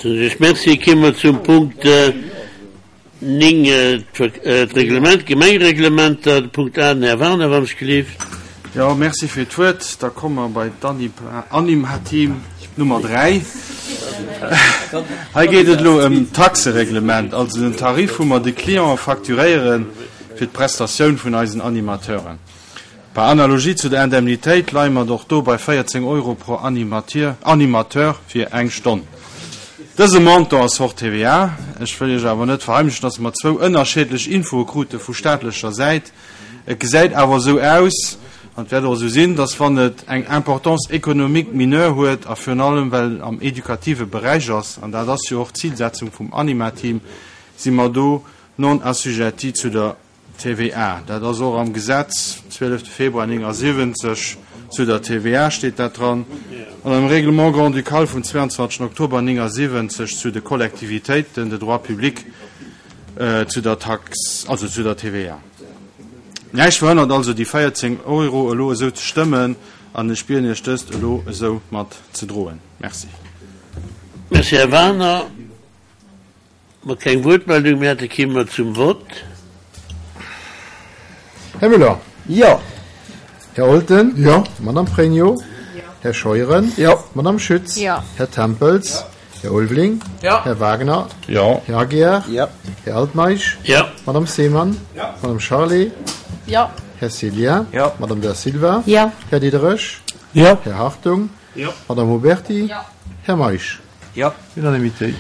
Soen ech Merci. Kéime mer zum Punkt 9, d'Reglement, d'Gemengereglementer. De Punkt A, den Här Warner, wann ech gelift. Jo, merci fir d'Wuert. Da komme mer bei d'Animateam Nummer 3. Hei geet et elo ëm d'Taxereglement, also den Tarif, wou mer de Clientë facturéiere fir d'Prestatioun vun eisen Animateuren. Par analogie zu der Indemnitéit leie mer och do bei 14 Euro pro Animateur fir eng Stonn. Dëse Montant ass hors TVA. Ech wëll Iech awer net verheimlechen, dass mer zwou ënnerscheedlech Infoe krute vu staatlecher Säit. Et gesäit awer esou aus, an et wäert och esou sinn, dass wann et eng Importance économique mineure huet a virun allem well et am edukative Beräich ass, an dat ass jo och d'Zilsetzung vum Anima-Team, si mer do non assujetti zu der TVA, dat ass och am Gesetz, 12 Februar 79, zu der TVA steet dat dran, an am Règlement grand-ducal vum 22 Oktober 79 zu de Kollektivitéiten de droit public zu der Tax, also zu der TVA. Näischt verhënnert also déi 14 Euro elo esou ze stëmmen, an ech bieden Iech dëst elo esou mat ze droen. Merci. Merci, Här Wagener. Mer keng Wuertmeldung méi hätte kéime mer zum Vott. Här Müller? Jo. Här Olten? Jo. Madame Pregno? Jo. Här Scheuren? Jo. Madame Schütz? Jo. Här Tempels? Jo. Här Ulveling? Jo. Här Wagner? Jo. Här Aguiar? Jo. Här Altmeisch? Jo. Madame Seemann? Jo. Madame Charlé? Jo. Här Cillien? Jo. Madame Da Silva? Jo. Här Diderich? Jo. Här Hartung? Jo. Madame Huberty? Jo. Här Meisch? Jo. Unanimité.